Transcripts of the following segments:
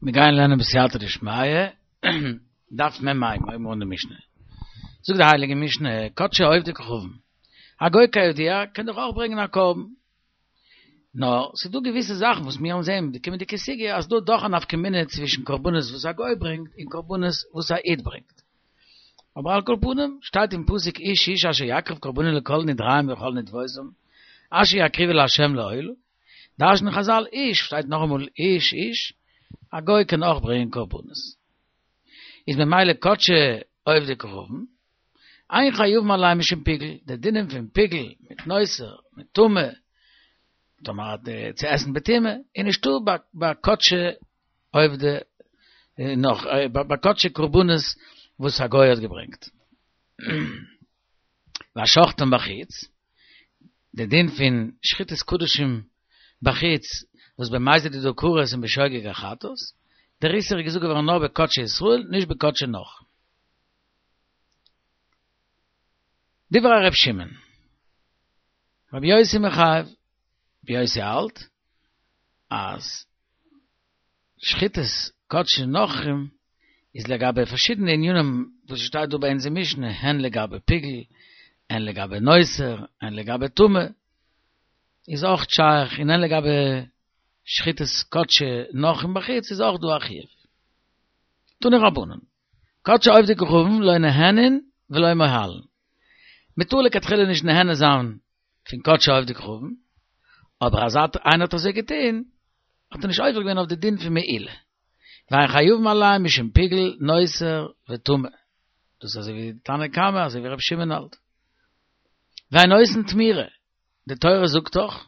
מיר גייען לערנען בסייעתא דשמיא, דף מ ה, מיר הייבן אן די משנה. זאגט די הייליגע משנה, קדשי עובדי כוכבים, א גוי כידוע קען דאך אויך ברענגען א קרבן. נאר ס'איז דא געוויסע זאכן וואס מיר וועלן זען אין די קומענדיגע סוגיא אז דא דאך א נפקא מינה צווישן קרבנות וואס א גוי ברענגט און קרבנות וואס א איד ברענגט. אבער על כל פנים, שטייט אין פסוק איש איש אשר יקריב קרבנו לכל נדריהם וכל נדבותם, אשר יקריבו לה' לעולה, דרש'נען חזל איש, שטייט נאכאמאל איש איש, א גוי קען אויך ברענגען קרבנות. איז ממילא קדשי עובדי כוכבים, אין חייבין עליהם משום פיגול, די דינים פון פיגול מיט נותר, מיט טמא, טאמער האט צו עסן בטומאה, איז נישטא ביי קדשי עובדי נאך ביי קדשי קרבנות וואס א גוי האט געברענגט. והשוחטן בחוץ, די דין פון שחיטת קדשים בחוץ וואס במזיד איז דא כרת און בשוגג א חטאת, דער איסור איז געזאגט געווארן נאר בקדשי ישראל נישט בקדשי נכרים. דברי ר' שמעון, רבי יוסי מחייב, רבי יוסי האלט אז שחיטת קדשי נכרים איז לגבי פארשידענע ענינים וואס שטייט דא ביי אונז אין משנה, הן לגבי פיגול, הן לגבי נותר, הן לגבי טמא, איז אויך שייך, און הן לגבי שחיטת קדשי נכרים בחוץ איז אויך דא א חיוב. תנו רבנן, קדשי עובדי כוכבים לא נהנין ולא מועלין. מ'טאר לכתחילה נישט נהנה זיין פון קדשי עובדי כוכבים, אבער אז איינער האט אזוי געטון, האט ער נישט עובר געווען אויף די דין פון מעילה. ואין חייבין עליהם משום פיגול, נותר וטמא. דאס איז אזוי ווי תנא קמא, אזוי ווי רבי שמעון האלט. ואין עושין תמורה, די תורה זאגט דאך,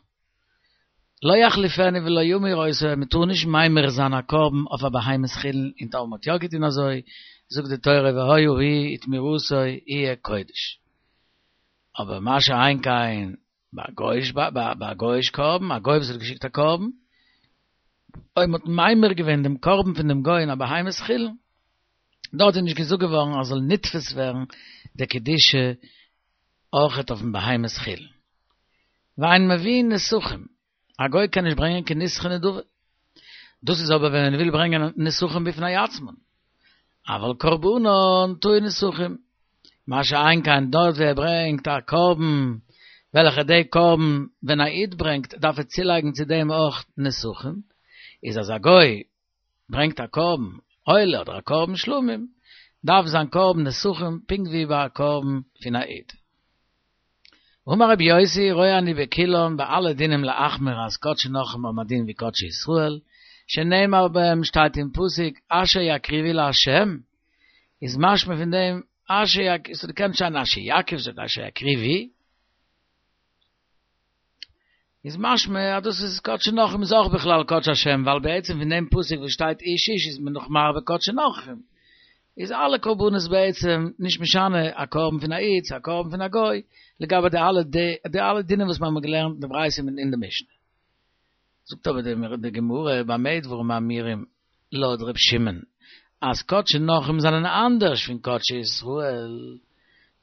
לא יחליפנו ולא ימיר אותו, מען טאר נישט ממיר זיין א קרבן אויף א בהמת חולין, און טאמער מען האט יא געטון אזוי, זאגט די תורה והיה הוא ותמורתו יהיה קודש. אבער מה שאין כן ביי א גוי'איש קרבן, א גוי וואס האט געשיקט א קרבן, אויב מען האט ממיר געווען דעם קרבן פון דעם גוי אין א בהמת חולין, דארט איז נישט געזאגט געווארן אז זאל נתפס ווערן די קדושה אויכעט אויפן בהמת חולין. ואין מביאין נסכים, א גוי קען נישט ברענגען קיין נסכי נדבה. דאס איז אבער ווען מען וויל ברענגען נסכים בפני עצמן. אבל קרבנן טעון נסכים. מה שאין כן דארט ווי ער ברענגט א קרבן, וועלכע די קרבן ווען א איד ברענגט דארף ער צולייגן צו דעם אויך נסכים, איז אז א גוי ברענגט א קרבן עולה אדער א קרבן שלמים, דארף זיין קרבן נסכים פונקט ווי ביי א קרבן פון א איד. אמר רבי יוסי, רואה אני בכולן, ביי אלע דינים להחמיר אז קדשי נכרים האבן א דין ווי קדשי ישראל, שנאמר בהם שטייט אין פסוק אשר יקריבו לה', איז משמע פון דעם אשר יקריבו, ס'האט געקענט שטיין אשר יקריב, שטייט אשר יקריבו, איז משמע אז דאס איז קדשי נכרים איז אויך בכלל קדשי השם, ווייל בעצם פון דעם פסוק וואס שטייט איש איש איז מען נאך מרבה קדשי נכרים, איז אלע קרבנות בעצם נישט משנה א קרבן פון א איד צו א קרבן פון א גוי, לגבי די אלע די אלע דינים וואס מיר האבן געלערנט אין די ברייתא און אין די משנה. זאגט אבער די גמרא במה דברים אמורים לויט ר' שמעון אז קדשי נכרים זענען אנדערש פון קדשי ישראל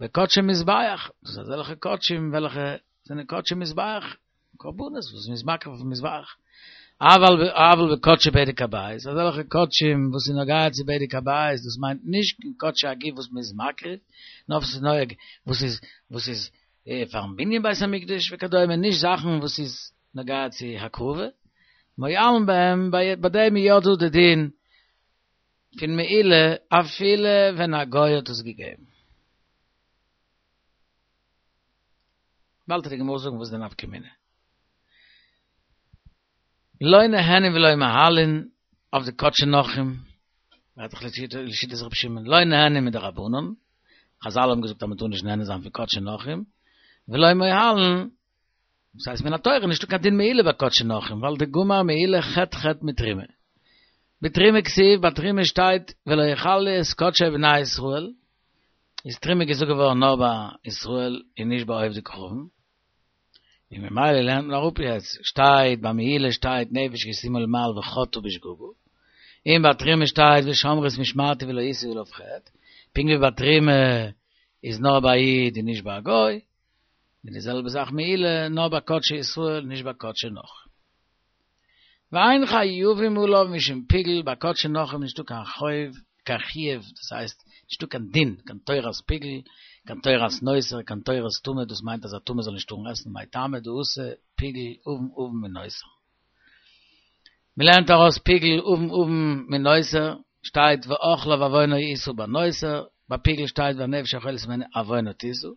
בקדשי מזבח, דאס איז אזעלכע קדשים וועלכע זענען קדשי מזבח, קרבנות וואס מ'איז מקריב אויפן מזבח, אבל אבל בקדשי בדק הבית, אזעלכע קדשים וואס איז נוגע צו בדק הבית, דאס מיינט נישט קיין קדשי הגוף וואס מ'איז מקריב, נאר וואס איז נוהג, וואס איז וואס איז פארן בנין בית המקדש וכדומה, נישט זאכן וואס איז נוגע צו הקרבה, מועלין בהם, ביי דעם איז יא דא די דין פון מעילה אפילו ווען א גוי האט עס געגעבן. באלד וועט די גמרא זאגן וואס איז די נפקא מינה. לא נהנין ולא מועלין אויף די קדשי נכרים, רעדט זיך לשיטת רבי שמעון, לא נהנין מדרבנן, חזל האבן געזאגט אז מען טאר נישט נהנה זיין פון קדשי נכרים, ולא מועלין, דאס הייסט מן התורה נישטא קיין דין מעילה ביי קדשי נכרים, ווייל דגמר מעילה חטא חטא מתרומה. בתרומה כתיב, ביי תרומה שטייט ולא יחללו את קדשי בני ישראל, איז תרומה געזאגט געווארן נאר ביי ישראל און נישט ביי עובדי כוכבים, און ממילא לערנט מען אראפ יעצט, שטייט ביי מעילה שטייט נפש כי תמעול מעל וחטאה בשגגה, און ביי תרומה שטייט ושמרו את משמרתי ולא ישאו עליו חטא, פונקט ווי ביי תרומה איז נאר ביי א איד און נישט ביי א גוי, און די זעלבע זאך מעילה נאר ביי קדשי ישראל נישט ביי קדשי נכרים. ואין חייבים עליו משום פיגול, ביי קדשי נכרים נישטא קיין חוב, קיין חיוב, דאס הייסט, נישטא קיין דין, קיין תורת פיגול, קיין תורת נותר, קיין תורת טמא, דאס מיינט אז א טמא זאל נישט טארן עסן, מאי טעמא דאתא פיגול עון עון מנותר. מ'לערנט ארויס פיגול עון עון מנותר, שטייט ואכלה ועוונו ישא ביי נותר, ביי פיגול שטייט והנפש האוכלת הימנו עוונה תשא.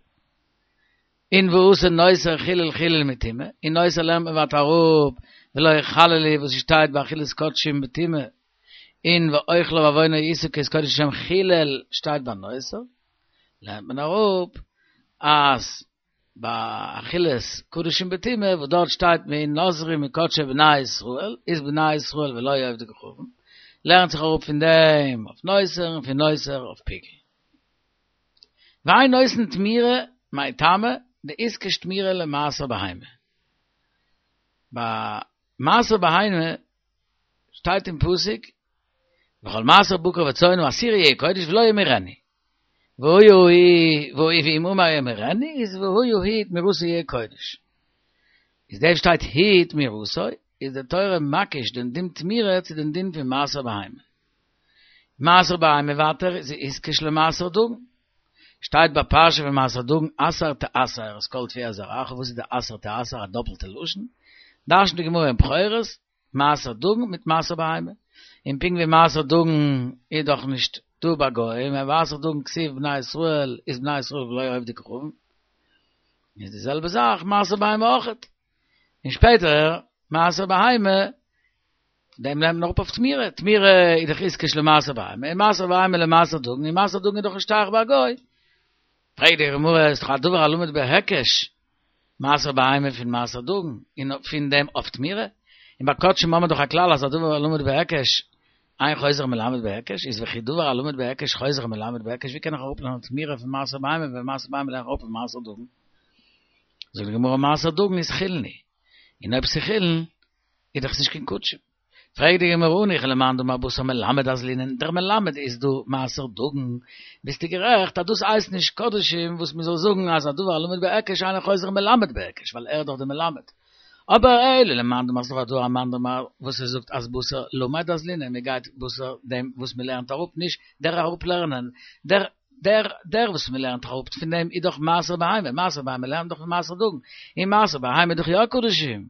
און ואתא נותר חילול חילול מטומאה, און נותר לערנט מען ווייטער אראפ ולא יחללו וואס ס'שטייט ביי אכילת קדשים בטומאה, און ואכלה ועוונו ישא כי את קודש השם חילל שטייט ביי נותר, לערנט מען אראפ אז ביי אכילת קדשים בטומאה וואס דארט שטייט והנזרי מקדשי בני ישראל איז בני ישראל ולא עובדי כוכבים, לערנט זיך אראפ פון דעם אויף נותר און פון נותר אויף פיגול. ואין עושין תמורה, מאי טעמא, דאיתקש תמורה למעשר בהמה. ביי מעשר בהמה שטייט אין פסוק, וכל מעשר בקר וצאן העשירי יהיה קודש ולא ימורנו. והיה היא, ואם אמר ימורנו, איז והיה היא תמורתו יהיה קודש. איז דעם שטייט היא תמורתו, איז די תורה מקיש דעם דין תמורה צו דעם דין פון מעשר בהמה. מעשר בהמה ווייטער איז איתקש למעשר דגן. שטייט ביי פרשה פון מעשר דגן עשר תעשר את כל תבואת זרעך, וואס איז די עשר תעשר א דאפלטע לשון? דרש'נט די גמרא אין בכורות, מעשר דגן מיט מעשר בהמה. און פונקט ווי מעשר דגן איז דאך נישט דא ביי גוים, און מעשר דגן כתיב בני ישראל איז בני ישראל ולא עובדי כוכבים. איז די זעלבע זאך מעשר בהמה אויכעט. און שפעטער מעשר בהמה דעם לערנט מען אראפ אויף תמורה, תמורה איז דאך איתקש למעשר בהמה, און מעשר בהמה למעשר דגן, און מעשר דגן איז דאך נישט שייך ביי א גוי. פרעגט די גמרא, איז דאך א דבר הלמד בהיקש, מעשר בהמה פון מעשר דגן, און פון דעם אויף תמורה, און ביי קדשים האבן מיר דאך א כלל אז א דבר הלמד בהיקש, אין חוזר מלמד בהיקש, איז וכי דבר הלמד בהיקש חוזר מלמד בהיקש, ווי קען איך אראפלערנען תמורה פון מעשר בהמה ווען מעשר בהמה לערן איך אראפ פון מעשר דגן? זאגט די גמרא מעשר דגן איז חולין הוא, און אויב ס'איז חולין איז דאך עס נישט קיין קדשים. פרעגט די גמרא הניחא למאן דאמר בתר מלמד אזלינן, דער מלמד איז דא מעשר דגן, ביסטו גערעכט אז דאס הייסט נישט קדשים וואס מען זאל זאגן אז א דבר הלמד בהיקש אינו חוזר מלמד בהיקש ווייל ער איז דאך דער מלמד, אבער אלא למאן דאמר ס'איז דאך דא א מאן דאמר וואס ער זאגט אז בתר למד אזלינן מען גייט בתר דעם וואס מען לערנט אראפ נישט דער אראפלערנען דער דער דער וואס מען לערנט אראפ פון דעם איז דאך מעשר בהמה, מעשר בהמה לערנט דאך פון מעשר דגן, און מעשר בהמה איז דאך יא קדשים,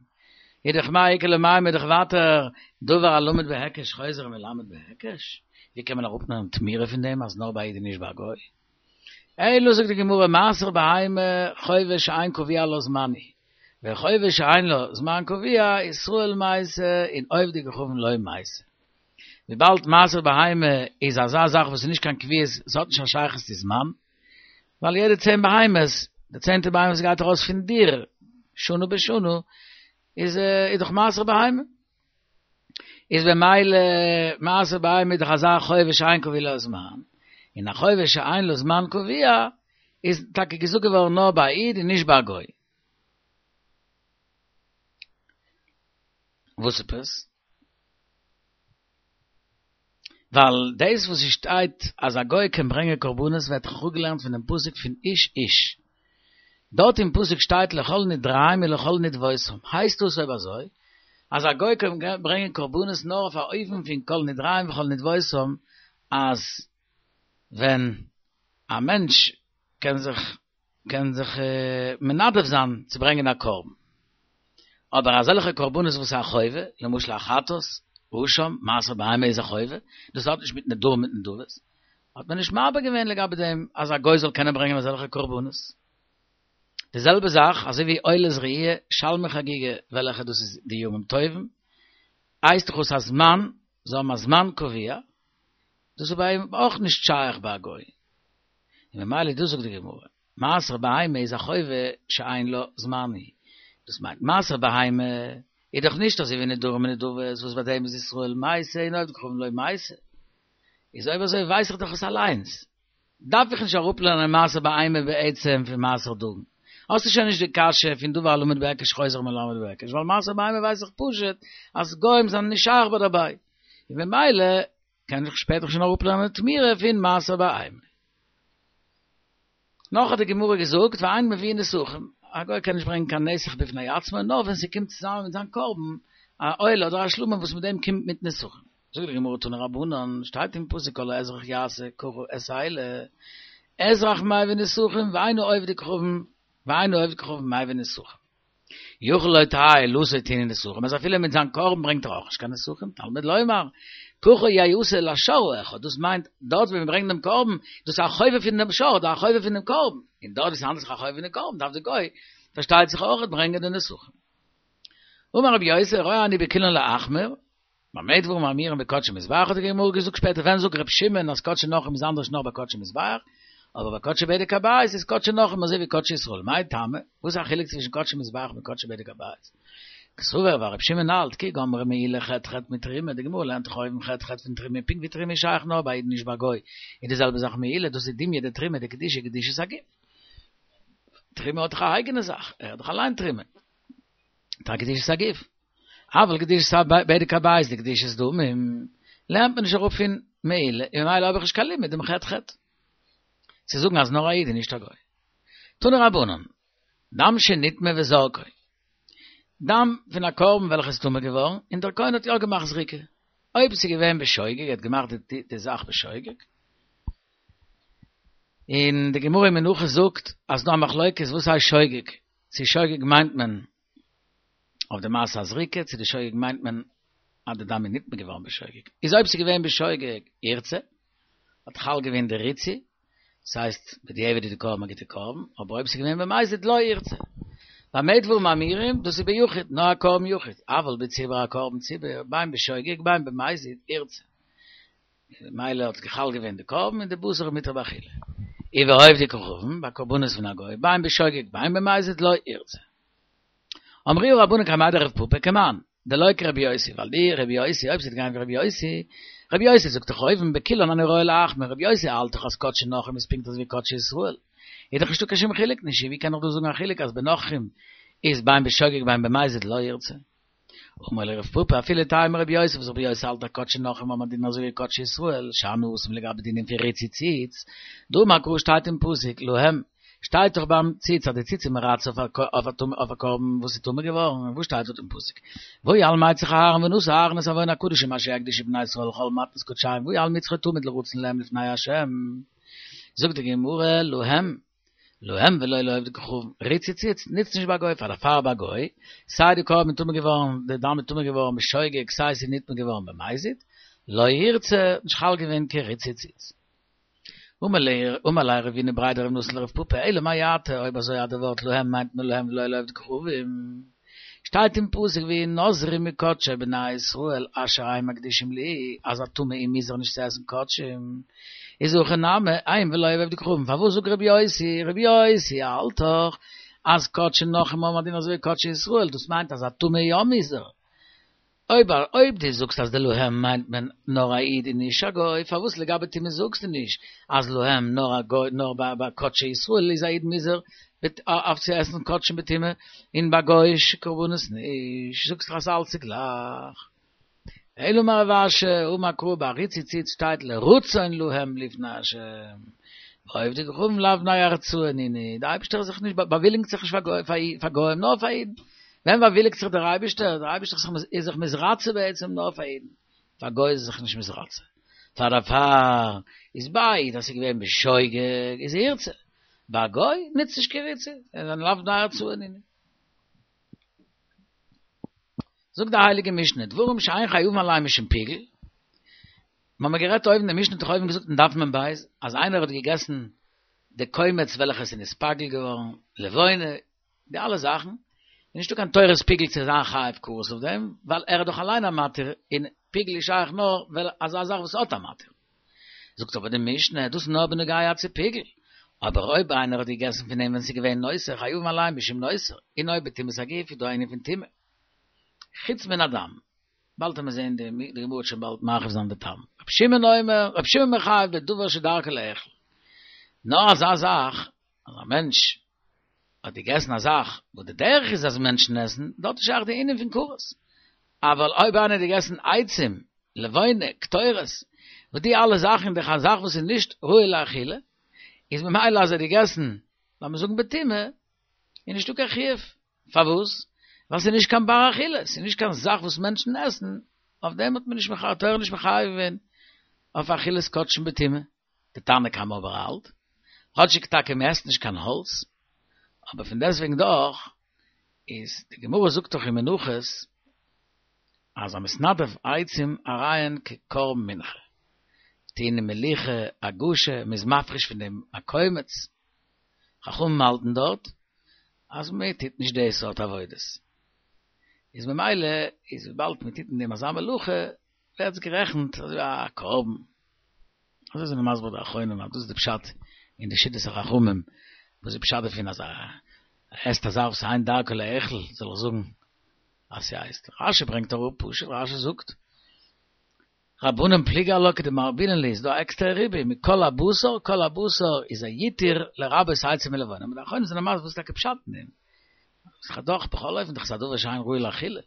איז דאך מאי איכא למימר איז דאך ווייטער דבר הלמד בהיקש חוזר ומלמד בהיקש, ווי קען מען אראפנעמען תמורה פון דעם אז נאר ביי א איד און נישט ביי א גוי? אלא זאגט די גמרא מעשר בהמה חובה שאין קבוע לה זמן היא, וחובה שאין לה זמן קבוע ישראל מייתי און עובדי כוכבים לא מייתי. וויבאלד מעשר בהמה איז אזא זאך וואס איז נישט קיין קביעות, עס האט נישט א שייכות צו זמן, ווייל יעדע צען בהמות, די צענטע בהמה וואס גייט ארויס פון דיר שנה בשנה, איז איז דאך מעשר בהמה. איז במילא מעשר בהמה איז דאך אזא חובה שאין קבוע לה זמן, און א חובה שאין לה זמן קבוע איז טאקע געזאגט געווארן נאר ביי א איד און נישט ביי א גוי. וואס עפעס? ווייל דאס וואס עס שטייט אז א גוי קען ברענגען קרבנות ווערט דאך אפגעלערנט פונעם פסוק פון איש איש. דארט אין פסוק שטייט לכל נדריהם ולכל נדבותם, הייסט דאס אויב אזוי אז א גוי קען ברענגען קרבנות נאר אויף א אופן פון כל נדריהם וכל נדבותם אז ווען א מענטש קען זיך קען זיך מנדב זיין צו ברענגען א קרבן. אבער אזעלכע קרבנות וואס איז א חובה, למשל א חטאת, אשם, מעשר בהמה איז א חובה, דאס האט נישט מיט נדרים מיט נדבות, האט מען נישט מרבה געווען לגבי דעם אז א גוי זאל קענען ברענגען אזעלכע קרבנות. די זעלבע זאך אזוי ווי עולת ראי', שלמי חגיגה, וועלכע דאס איז די ימים טובים, הייסט דאך אויס א זמן, זיי האבן א זמן קבוע, דאס איז ביי אים אויך נישט שייך ביי א גוי. און ממילא דאס זאגט די גמרא, מעשר בהמה איז א חובה שאין לה זמן היא, דאס מיינט מעשר בהמה איז דאך נישט אזוי ווי נדרים און נדבות וואס ביי דעם איז ישראל מייתי און עובדי כוכבים לא מייתי, איז אויב אזוי ווייס איך דאך עס אליינס, דארף איך נישט אראפלערנען מעשר בהמה בעצם פון מעשר דגן, האסטו שוין נישט די קשיא פון דבר הלמד בהיקש חוזר מלמד בהיקש, ווייל מעשר בהמה ווייס איך פשוט אז גוים זענען נישט שייך ביי דערביי, און ממילא קען איך שפעטער שוין אראפלערנען תמורה פון מעשר בהמה. נאך האט די גמרא געזאגט ואין מביאין נסכים, א גוי קען נישט ברענגען קיין נסך בפני עצמו, נאר ווען ס'קומט צוזאמען מיט זיין קרבן, א עולה אדער א שלמים וואס מיט דעם קומט מיט נסכים. זאגט די גמרא תנו רבנן, שטייט אין פסוק כל האזרח יעשה ככה את האלה, אזרח מביא נסכים ואין העובד כוכבים ואין העובד כוכבים מביא נסכים. יכול לא תהא עולתו טעונה נסכים, אז אפילו מיט זיין קרבן ברענגט ער אויך נישט קיין נסכים, תלמוד לומר, ככה יעשה לשור האחד, דאס מיינט, דארט ווי מען ברענגט דעם קרבן, דאס איז א חובה פון דעם שור, אדער א חובה פון דעם קרבן, און דארט ווי ס'האנדלט זיך א חובה פון דעם קרבן, דארף דער גוי, פארשטייט זיך אויך, ברענגען די נסכים. אמר רבי יוסי, רואה אני בכולן להחמיר, במה דברים אמורים בקדשי מזבח האט די גמרא געזאגט שפעטער ווען זאגט ר' שמעון אז קדשי נכרים איז אנדערש נאר ביי קדשי מזבח, אבער ביי קדשי בדק הבית איז קדשי נכרים אזוי ווי קדשי ישראל, מאי טעמא? וואס איז א חילוק צווישן קדשי מזבח און קדשי בדק הבית? קסבר ווייל ר' שמעון האלט כי גמרה מעילה חטא חטא מתרומה, די גמרא לערנט דאך אויבן חטא חטא פון תרומה, פונקט ווי תרומה איז שייך נאר ביי אידן נישט ביי גוי, איז די זעלבע זאך מעילה, דאס איז דומיא דתרומה דקדישא קדושת הגוף. תרומה האט דאך א אייגענע זאך, ער האט דאך אליין תרומה. האט א קדושת הגוף. אבל קדושת בדק הבית דקדושת דמים, לערנט מען נישט אראפ פון מעילה, און ממילא האב איך נישט קיין לימוד דעם חטא חטא. צו זאגן אז נאר א איד און נישט א גוי. תנו רבנן, דם שנטמא וזרקו, דם פון א קרבן וועלכע איז טמא געווארן, און דער כהן האט יא געמאכט זריקה. אויב ס'איז געווען בשוגג, ער האט געמאכט די זאך בשוגג, און די גמרא אין מנחות זאגט אז ס'דא א מחלוקת וואס הייסט שוגג, צו שוגג מיינט מען אויף די מעשה הזריקה, צו די שוגג מיינט מען אז די דם איז נטמא געווארן בשוגג. איז אויב ס'איז געווען בשוגג ירצה, האט חל געווען די ריצוי, דאס הייסט בדיעבד איז די קרבן א גוטע קרבן, אבער אויב ס'איז געווען במזיד לא ירצה. במה דברים אמורים, דאס איז ביחיד, נאר א קרבן יחיד, אבל בציבור א קרבן ציבור, בין בשוגג בין במזיד ירצה. ממילא האט חל געווען די קרבן און די בשר איז מותר באכילה. ובעובדי כוכבים, ביי קרבנות פון א גוי, בין בשוגג בין במזיד לא ירצה. אמרוה רבנן קמיה דרב פפא כמאן, דלא כרבי יוסי, ווייל די רבי יוסי, אויב ס'וועט גיין ווי רבי יוסי, רבי יוסי זאגט דאך אויבן בכולן אני רואה להחמיר, רבי יוסי האלט דאך אז קדשי נכרים איז פונקט אזוי ווי קדשי ישראל. איז דאך נישטא קיין שום חילוק נישט, ווי קען איך דא זאגן א חילוק אז בנכרים איז בין בשוגג בין במזיד לא ירצה. אמר ליה רב פפא אפילו תימא רבי יוסי וואס רבי יוסי האלט אז קדשי נכרים האבן א דין אזוי ווי קדשי ישראל שאני התם לגבי דינים פון ריצוי ציץ דאמר קרא שטייט אין פסוק להם שטייט דאך ביים ציץ אז די ציץ איז מרצה אויף א קרבן וואס איז טמא געווארן וואס שטייט דארט אין פסוק והוא על מצח אהרן ונשא אהרן את עון הקדשים אשר יקדישו בני ישראל לכל מתנות קדשיהם והוא על מצחו תמיד לרצון להם לפני ה' זאגט די גמרא להם להם ולא לעובדי כוכבים, ריצוי ציץ ניצט נישט ביי גוי פאר דערפאר ביי גוי, סיי די קרבן איז טמא געווארן, די דם איז טמא געווארן בשוגג סיי ס'איז נטמא געווארן במזיד, לא ירצה, נישט חל געווען קיין ריצוי ציץ. אמר ליה רבינא בריה דרב נתן לרב פפא, אלא מעתה, אויב אזוי אז די ווארט להם מיינט מען להם ולא לעובדי כוכבים, שטייט אין פסוק וינזרו מקדשי בני ישראל אשר הם מקדישים לי, אז א טמא איז מוזהר נישט צו עסן קדשים, איז הכא נמי הם ולא עובדי כוכבים, פארוואס זאגט רבי יוסי, רבי יוסי האלט דאך אז קדשי נכרים האבן א דין אזוי ווי קדשי ישראל, דאס מיינט אז א טמא איז יא מוזהר, אויב אויב דו זאגסט אז די להם מיינט מען נאר א איד און נישט א גוי, פארוואס לגבי טומאה זאגסטו נישט אז להם נאר א גוי נאר ביי ביי קדשי ישראל איז א איד מוזהר אויף צו עסן קדשים בטומאה און ביי גוי'אישע קרבנות נישט, זאגסט דאך אז אלץ איז גלייך. אלא אמר רב אשי, אמר קרא ביי ריצוי ציץ שטייט לרצון להם לפני השם, ועובדי כוכבים לאו בני ארצאה נינהו, די אייבערשטער איז זיך נישט באוויליגט זיך נישט פאר גוים נאר פאר אידן. ווען באוויליגט זיך דער אייבערשטער? דער אייבערשטער איז זיך מתרצה בעצם נאר פאר אידן, פאר גוי איז ער זיך נישט מתרצה. פאר דערפאר איז ביי איד אז ס'איז געווען בשוגג איז ירצה, ביי גוי נוצט נישט קיין ריצוי, זיי זענען לאו בני ארצאה נינהו. זאגט די הייליגע משנה, דברים שאין חייבין עליהם משום פיגול, מ'האמיר גערעדט אויבן, די משנה האט דאך אויבן געזאגט אין דף מ"ב, אז איינער האט געגעסן די קומץ וועלכע עס איז נתפגל געווארן, לבונה, די אלע זאכן, איז נישטא קיין תורת פיגול צו זיין חייב כרת אויף דעם, ווייל ער איז דאך אליין א מתיר, און פיגול איז שייך נאר ווען אזא זאך וואס האט א מתיר. זאגט אבער די משנה, דאס איז נאר בנוגע צו פיגול, אבער אויב איינער האט געגעסן פון דעם ווען ס'איז געווען נותר, חייבין עליהם משום נותר, און אויב בטומאת הגוף איז דא א ענין פון טומאה. חוץ מן הדם. באלד וועט מען זען די גמרא וועט שוין באלד מרחיב זיין די טעם. רבי שמעון אומר, רבי שמעון מחייב בדבר שדרכו לאכול. נאר אזא זאך אז א מענטש האט געגעסן א זאך וואס די דרך איז אז מענטשן עסן, דארט איז שייך די ענין פון כרת. אבל אויב איינער האט געגעסן עצים, לבונה, קטורת, וואס די אלע זאכן דאך א זאך וואס איז נישט ראוי לאכילה, איז ממילא אז ער האט געגעסן, לאמיר זאגן בטומאה, איז נישטא קיין חיוב. פארוואס? ווייל ס'איז נישט קיין בר אכילה, ס'איז נישט קיין זאך וואס מענטשן עסן, אויף דעם האט מען נישט מחייב, תורה נישט מחייב געווען אויף אכילת קדשים בטומאה. די תנא קמא אבער האלט, כאטשיג טאקע מען עסט נישט קיין האלץ, אבער פון דעסטוועגן דאך איז די גמרא זאגט דאך אין מנחות אז המתנדב עצים הרי הן כקרבן מנחה, טעונין מליחה, הגשה, מען איז מפריש פון דעם א קומץ, חכמים האלטן דארט אז מען טוט נישט די סארט עבודות, איז ממילא איז וויבאלד מען טוט אין דעם אזא מלאכה ווערט עס גערעכנט אזוי ווי א קרבן. אזוי זענען מסביר די אחרונים אז דאס איז די פשט אין די שיטת החכמים, וואס איז פשט דערפון אז ער עסט א זאך וואס אין דרכו לאכול, זאל איך זאגן אז ס'הייסט, רשי ברענגט אראפ פשוט, רשי זאגט, רבנן פליגי עלה כדמרבינן להו, איז דא א עקסטערע ריבוי מכל הבשר, כל הבשר איז א יתיר לרבות עצים ולבונה, אבער די אחרונים זענען מסביר וואס איז טאקע פשט אין דעם, ס'איז דאך בכל אופן דאך איז א דבר שאין ראוי לאכילה.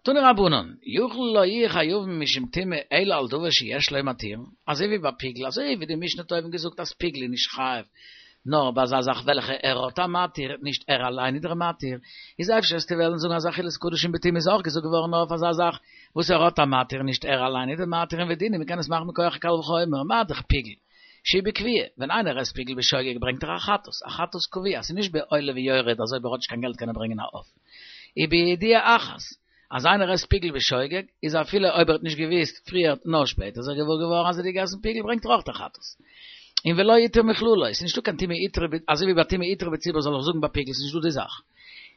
תנו רבנן, יכול לא יהו חייבין משום טומאה אלא על דבר שיש לו מתירין, אזוי ווי ביי פיגול, אזוי ווי די משנה האט אויבן געזאגט אז פיגול איז נישט חייב נאר ביי אזא זאך וועלכע ער האט א מתיר, נישט ער אליין איז דער מתיר, איז אפשר וועסטו וועלן זאגן אז אכילת קדשים בטומאה איז אויך געזאגט געווארן נאר אויף אזא זאך וואס ער האט א מתיר נישט ער אליין איז דער מתיר און ודין מ'קען עס מאכן מכח קל וחומר, מה דאך פיגול שהוא בכוויה, ווען איינער עסט פיגול בשוגג ברענגט ער א חטאת, א חטאת קבוע, ס'איז נישט בעולה ויורד אז אויב ער האט נישט קיין געלט קען ער ברענגען א עוף. ובידיעה אחת, אז איינער עסט פיגל בשוגג, איז אפילו אויב ער האט נישט געוויסט פריער נאר שפעטער איז ער געוואר געווארן אז ער האט געגעסן פיגל ברענגט ער אויך א חטאת. און ולא הותרה מכללא, עס איז נישטא קיין טומאה הותרה אזוי ווי ביי טומאה הותרה בציבור זאל איך זאגן ביי פיגל ס'איז נישטא די זאך.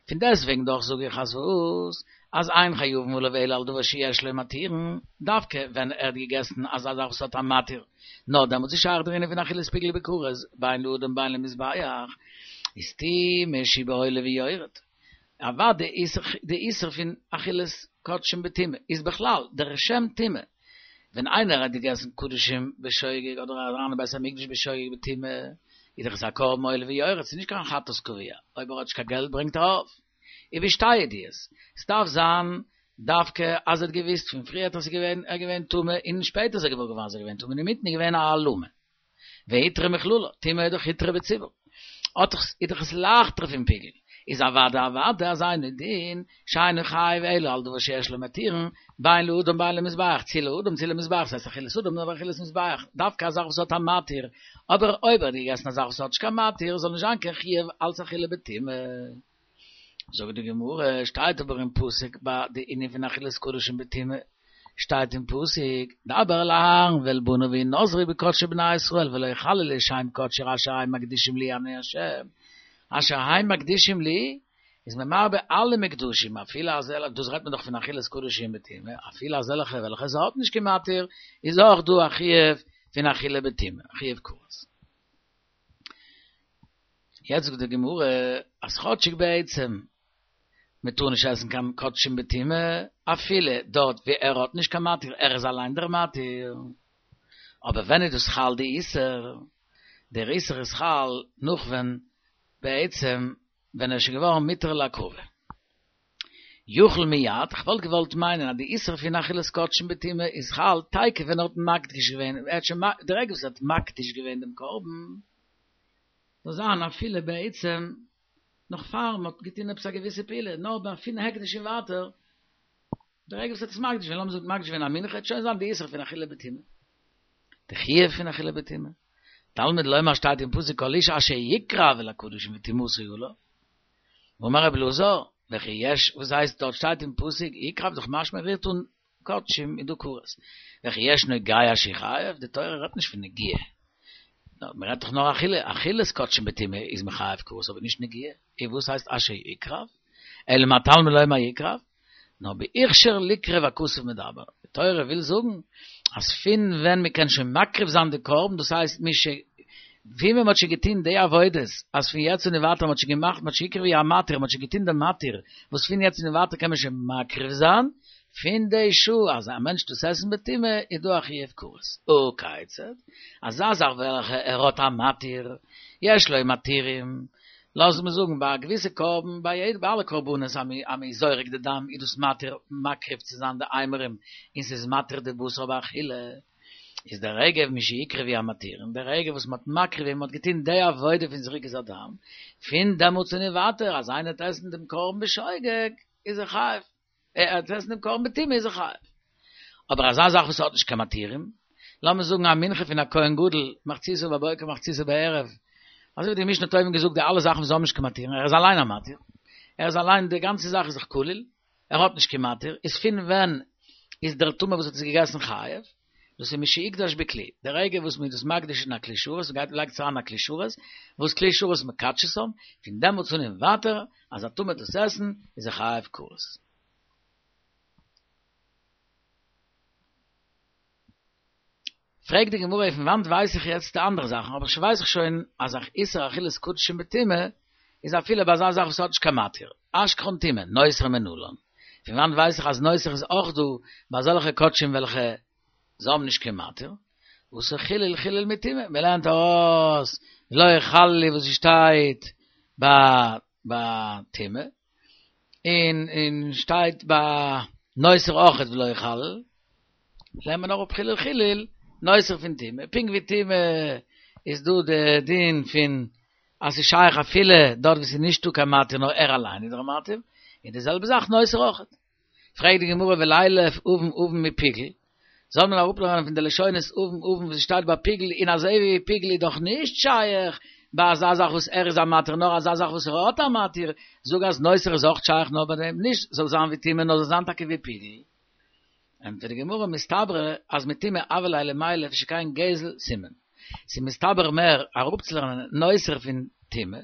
פון דעסטוועגן דאך זאג איך אז וואס? אז אין חייבין עליו אלא על דבר שיש לו מתירין, דווקא ווען ער האט געגעסן אזא זאך וואס האט א מתיר, נאר דעמאלטס איז שייך דער ענין פון אכילת פיגול בכרת, בין לאדם בין למזבח, איז טומאה שהיא בעולה ויורד. אוודאי איז די איסור פון אכילת קדשים בטומאה איז בכלל דער שם טומאה, ווען איינער האט געגעסן קדשים בשוגג אדער אריין אין בית המקדש בשוגג בטומאה, איז דאך עס א קרבן עולה ויורד, ס'איז נישט קיין חטאת קבוע, אויב ער האט נישט קיין געלט ברענגט ער עוף. ובשתי ידיעות, ס'דארף זיין דווקא אז ער האט געוויסט פון פריערט אז ער איז געווען טמא און שפעטער איז ער געוואר געווארן אז ער איז געווען טמא און אינמיטן איז געווען א העלמה. והותרה מכללה, טומאה איז דאך הותרה בציבור. האט דאך איז דאך עס לייכטער פון פיגול. איז אוודאי אוודאי אז אינו דין שאינו חייב אלא על דבר שיש לו מתירין, בין לאדם בין למזבח, צי לאדם צי למזבח, ס'הייסט אכילת אדם אדער אכילת מזבח, דווקא א זאך וואס האט א מתיר, אבער אויב ער האט געגעסן א זאך וואס האט נישט קיין מתיר, זאל נישט זיין קיין חיוב אלץ אכילה בטומאה. זאגט די גמרא, שטייט אבער אין פסוק ביי די ענין פון אכילת קדשים בטומאה, שטייט אין פסוק, דבר אל אהרן ואל בניו והנזרו בקדשי בני ישראל ולא יחללו שם קדשי אשר הם מקדישים לי אני ה', אשר הם מקדישים לי, איז מען מרבה אלע מקדשים, אפילו אזעלכע, דאס רעדט מען דאך פון אכילת קדשים בטומאה, אפילו אזעלכע וועלכע עס האט נישט קיין מתיר, איז אויך דא א חיוב פון אכילה בטומאה, א חיוב כרת. יעצט זאגט די גמרא אז כאטשיג בעצם מען טאר נישט עסן קיין קדשים בטומאה, אפילו דארט ווי ער האט נישט קיין מתיר, ער איז אליין דער מתיר, אבער ווען איז דאס חל די איסור? דער איסור איז חל נאך ווען בעצם ווען ער איז שוין געווארן מותר להקרבה. יכול מיד, כ'וואלט געוואלט מיינען אז די איסור פון אכילת קדשים בטומאה איז חל תיכף ווען ער האט מקדיש געווען, ער האט שוין די רגע וואס ער האט מקדיש געווען דעם קרבן, זאל זיין אפילו בעצם נאך פאר מען האט געטון עפעס א געוויסע פעולה, נאר ביי פון הקדש און ווייטער, די רגע וואס ער האט עס מקדיש געווען, לאמיר זאגן מקדיש געווען א מנחה, וועט שוין זיין די איסור פון אכילה בטומאה. די חיוב פון אכילה בטומאה. תלמוד לומר שטייט אין פסוק כל איש אשר יקרב אל הקדשים וטומאתו עליו. אמר רבי אלעזר, וכי יש, וואס הייסט דארט שטייט אין פסוק יקרב דאך משמע רירט אן קדשים איז דא כרת. וכי יש נוגע שהוא חייב, די תורה רעדט נישט פון נגיעה. מען רעדט דאך נאר אכילה, אכילת קדשים בטומאה איז מחייב כרת אבער נישט נגיעה. און וואס הייסט אשר יקרב? אלא מה תלמוד לומר יקרב? נאר בהכשר ליקרב הכתוב מדבר, די תורה וויל זאגן אז פון ווען מען קען שוין מקריב זיין די קרבן, דאס הייסט מש ווי מען האט שוין געטון די עבודות, אז פון יעצט און ווייטער מען האט שוין געמאכט, מען האט שוין הקריב המתיר, מען האט שוין געטון די מתיר, וואס פון יעצט און ווייטער קען מען שוין מקריב זיין, פון די שעה אז א מענטש טוט עסן בטומאה איז דא א חיוב כרת. הא כיצד? אזא זאך וועלכע ער האט א מתיר, יש לו מתירים, לאז מיר זאגן ביי א געוויסע קרבן, ביי יעדע ביי אלע קרבנות אז מ'איז זורק די דם איז דאס מתיר מקריב צו זיין די אימורים און ס'איז מתיר די בשר באכילה. איז דער רגע משהקריבו המתירין, דער רגע וואס מ'האט מקריב געווען, מ'האט געטון די עבודה פון זריקת הדם, פון דעמאלטס און ווייטער אז איינער וועט עסן דעם קרבן בשוגג, איז ער חייב, ער וועט עסן דעם קרבן בטומאה איז ער חייב. אבער אזא זאך וואס האט נישט קיין מתירים, לאמיר זאגן א מנחה פון א כהן גדול, מחציתה בבוקר מחציתה בערב, אזוי ווי די משנה האט אויבן געזאגט די אלע זאכן וואס האבן נישט קיין מתירים, ער איז אליין א מתיר, ער איז אליין די גאנצע זאך איז דאך כליל, ער האט נישט קיין מתיר, איז פון ווען איז דער טמא וואס האט עס געגעסן חייב? דאס איז משהוקדש בכלי, די רגע וואס מען איז דאס מקדיש אין א כלי שרת, מען גייט לייגט עס אריין אין א כלי שרת, וואס כלי שרת מקדשתם, פון דעמאלטס אן און ווייטער, אז א טמא וועט דאס עסן, איז ער חייב כרת. פרעגט די גמרא פון וואנט ווייס איך יעצט די אנדערע זאכן, אבער שוין ווייס איך שוין אז א איסור אכילת קדשים בטומאה איז אפילו ביי אזא זאך וואס האט נישט קיין מתיר, אשכחן טומאה, נותר מנלן. פון וואנט ווייס איך אז נותר איז אויך דא ביי אזעלכע קדשים וועלכע זיי האבן נישט קיין מתיר? אתא חיליל חיליל מטומאה, מען לערנט ארויס לא יחללו וואס שטייט ביי ביי טומאה, און און שטייט ביי נותר אויכעט ולא יחלל, לערנט מען אראפ חיליל חיליל נותר פון טומאה, פונקט ווי טומאה איז דא די דין פון אז ס'איז שייך אפילו דארט וואו ס'איז נישטא קיין מתיר נאר ער אליין איז דער מתיר, און די זעלבע זאך נותר אויכעט. פרעגט די גמרא ולילף אבן אבן מפיגול, זאל מען אראפלערנען פון די לשונות אבן אבן וואס שטייט ביי פיגול און אזוי ווי פיגול איז דאך נישט שייך ביי אזא זאך וואס ער איז א מתיר נאר אזא זאך וואס ער האט א מתיר, זאג אז נותר איז אויך שייך נאר ביי דעם, נישט זאל זיין ווי טומאה נאר זאל זיין טאקע ווי פיגול. ענטפערט די גמרא מסתברא אז מטומאה הוה ליה למילף שכן גזל סימן. ס'איז מסתבר מער אראפצולערנען נותר פון טומאה,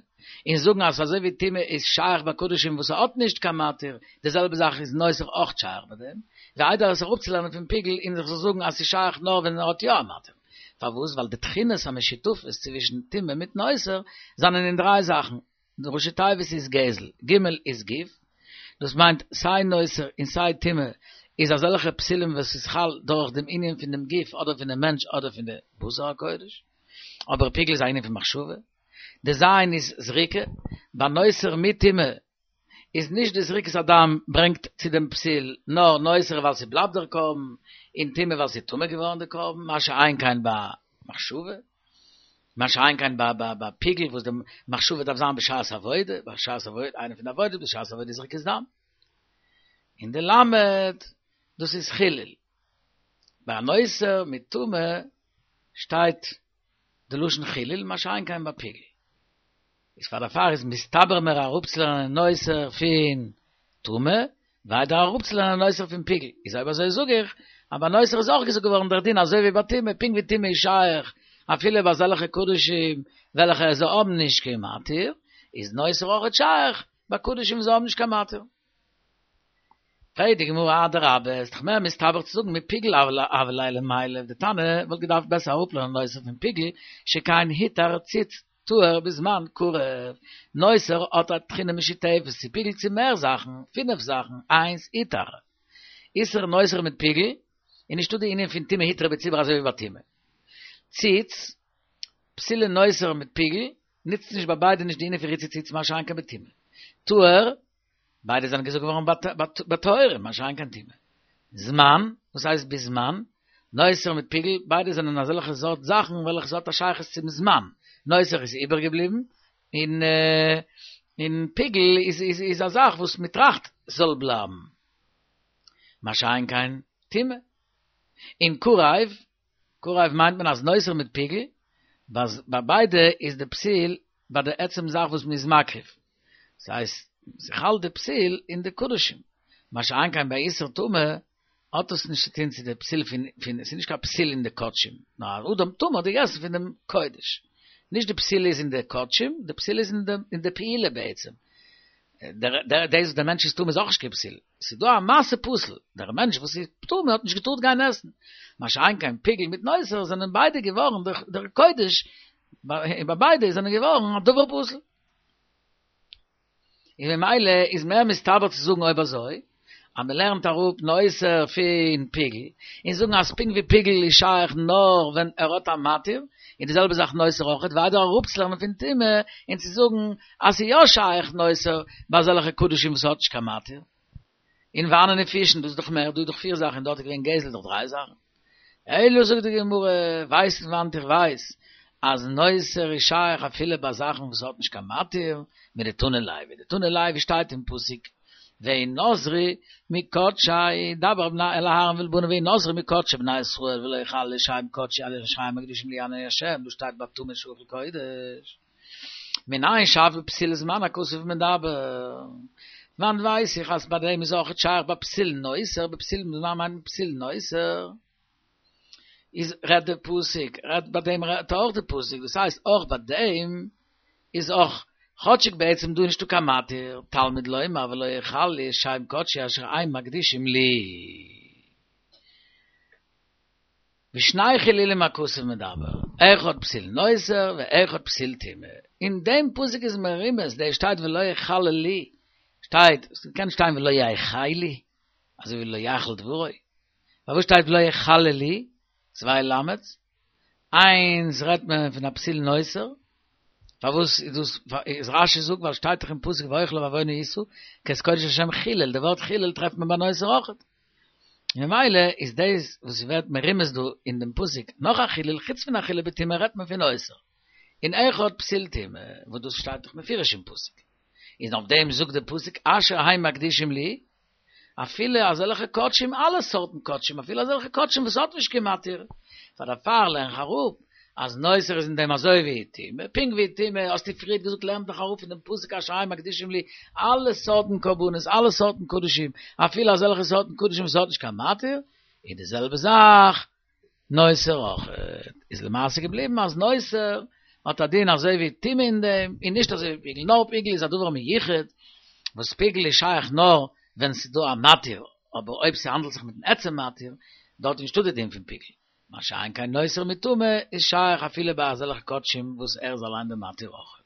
און זאגן אז אזוי ווי טומאה איז שייך ביי קדשים וואס האט נישט קיין מתיר, די זעלבע זאך איז נותר אויך שייך ביי דעם, ווי איידער עס אראפצולערנען פון פיגול און איך זאל זאגן אז ס'איז שייך נאר ווען ער האט יא א מתיר. פארוואס? ווייל די תכונות המשותפות צווישן טומאה מיט נותר זענען אין דריי זאכן, די ראשי תיבות איז גזל, ג' איז גוף, דאס מיינט סיי נותר און סיי טומאה איז אזעלכע פסולים וואס איז חל דורך דעם ענין פון דעם גוף אדער פון דעם מענטש אדער פון די בשר הקודש, אבער פיגול איז א ענין פון מחשבה. די ז' איז זריקה, ביי נותר מיט טומאה איז נישט די זריקת הדם ברענגט צו דעם פסול, נאר נותר ווייל ס'בלייבט דער קרבן, און טומאה ווייל ס'איז טמא געווארן די קרבן, מה שאין כן ביי מחשבה. מה שאין כן ביי ביי ביי פיגול וואס די מחשבה דארף זיין בשעת עבודה, בשעת עבודה, איינע פון די עבודות בשעת עבודה איז זריקת דם. און די למד, דאס איז חילול. ביי נותר מיט טומאה שטייט די לשון חילול, מה שאין כן ביי פיגול. איז פאר דערפאר איז מסתבר מער אראפצולערנען נותר פון טומאה, ווי איידער אראפצולערנען נותר פון פיגול. איז אויב אזוי זאג איך, אז ביי נותר איז אויך געזאגט געווארן דער דין אזוי ווי ביי טומאה, פונקט ווי טומאה איז שייך אפילו ביי אזעלכע קדשים וועלכע זיי האבן נישט קיין מתיר, איז נותר אויכעט שייך ביי קדשים וואס זיי האבן נישט קיין מתיר. פרעגט די גמרא אדרבה, איז דאך מער מסתבר צו זאגן מפיגול הוה ליה למילף, די תנא וואלט געדארפט בעסער אראפלערנען נותר פון פיגול, שכן הותר ציץ טהור בזמן קרב, נותר האט א תכונה משותפת צו פיגול צו מער זאכן, פינף זאכן, איינס הותר, איסור נותר מיט פיגול, איז נישטא די ענין פון טומאה הותרה בציבור אזוי ווי ביי טומאה. ציץ, פסולי נותר מיט פיגול, נוצט נישט ביי ביידע נישט די ענין פון ריצוי ציץ מה שאין כן בטומאה. טהור, ביידע זענען געזאגט געווארן ביי טהורים, מה שאין כן טומאה. זמן, וואס הייסט בזמן? נותר מיט פיגול, ביידע זענען אזעלכע סארט זאכן וועלכע ס'האט א שייכות צום זמן. נותר איז איבערגעבליבן, און און פיגול איז איז איז א זאך וואס מ'טראכט זאל בלייבן. מה שאין כן טומאה. און קרב, קרב מיינט מען אז נותר מיט פיגול, ביי ביידע איז די פסול ביי די עצם זאך וואס מ'איז מקריב. ס'הייסט, ס'חל די פסול אין די קדשים. מה שאין כן ביי איסור טומאה, האט עס נישט צו טון צו די פסול פון, פון, ס'איז נישט קיין פסול אין די קדשים, נאר א אדם טמא האט געגעסן פון דעם קודש. נישט די פסול איז אין די קדשים, די פסול איז אין די, אין די פעולה בעצם. דער, דער, דאס וואס דער מענטש איז טמא איז אויך נישט קיין פסול. ס'איז דא א מעשה פסול, דער מענטש וואס איז טמא האט נישט געטארט גיין עסן. מה שאין כן פיגול מיט נותר זענען ביידע געווארן דורך דער קודש, ביי ביידע זענען געווארן א דבר פסול. און ממילא איז מער מסתבר צו זאגן אויב אזוי, אז מען לערנט אראפ נותר פון פיגול, און זאגן אז פונקט ווי פיגול איז שייך נאר ווען ער האט א מתיר, און די זעלבע זאך נותר אויכעט, ווי איידער אראפצולערנען פון טומאה און צו זאגן אז ס'איז יא שייך נותר ביי אזעלכע קדשים וואס האט נישט קיין מתיר. און והני נפישין, דאס איז דאך מער, דא איז דאך פיר זאכן און דארט איז געווען גזל דאך דריי זאכן. אלא זאגט די גמרא, ווייסט פון וואנט איך ווייס אז נותר איז שייך אפילו ביי זאכן וואס האט נישט קיין מתיר, מדתני לוי, דתני לוי שטייט אין פסוק וינתרו מקדשי דבר אל אהרן ואל בניו וינתרו מקדשי בני ישראל ולא יחללו שם קדשי אשר הם מקדישים לי אני ה', דאס שטייט ביי טמא שאכל קודש. מנין שאף בפסיל זמן הכתוב מדבר? וואנט ווייס איך אז ביי דעם איז אויכעט שייך ביי פסיל נותר, בפסיל זמן מיינט מען פסיל נותר, איז רעדט די פסוק, רעדט ביי דעם רעדט אויך די פסוק, דאס הייסט אויך ביי דעם איז אויך, כאטשיג בעצם דא נישטא קיין מתיר, תלמוד לומר ולא יחללו שם קדשי אשר הם מקדישים לי. בשני חילולים הכתוב מדבר, אחד פסיל נותר ואחד פסיל טומאה. אין דעם פסוק איז מרומז, דער שטייט ולא יחללו, שטייט, ס'קען שטיין ולא יחלו, אזוי ווי לא יחל דברו. פארוואס שטייט ולא יחללו, צוויי למד'ס? איינס רעדט מען פון א פסיל נותר, פארוואס איז דאס, איז רש"י זאגט ווייל שטייט דאך אין פסוק ואוכליו בעוונו ישא, כי את קודש השם חילל, די ווארט חילל טרעפט מען ביי נותר אויכעט. ממילא איז דאס וואס ווערט מרומז דא אין דעם פסוק נאך א חילול, חוץ פון א חילול בטומאה רעדט מען פון נותר, און אחד פסיל טומאה, וואס דאס שטייט דאך מפורש אין פסוק, איז אויף דעם זאגט דער פסוק אשר הם מקדישים לי, אפילו אזעלכע קדשים, אלע סארטן קדשים, אפילו אזעלכע קדשים וואס האט נישט קיין מתיר, פאר דערפאר לערן איך אראפ אז נותר איז אין דעם אזוי ווי טומאה, פונקט ווי טומאה האסטו פריערט געזאגט לערנט דאך אראפ פון דעם פסוק אשר הם מקדישים לי אלע סארטן קרבנות, אלע סארטן קדשים, אפילו אזעלכע סארטן קדשים וואס האט נישט קיין מתיר, איז די זעלבע זאך נותר אויך. איז למעשה געבליבן אז נותר האט א דין אזוי ווי טומאה אין דעם, און נישט אזוי ווי פיגול, נאר פיגול איז א דבר מיוחד, וואס פיגול איז שייך נאר ווען ס'איז דא א מתיר, אבער אויב ס'האנדלט זיך מיטן עצם מתיר, דארט איז נישטא די דין פון פיגול. מה שאין כן נותר מיט טומאה איז שייך אפילו ביי אזעלכע קדשים וואס ער איז אליין די מתיר אויך.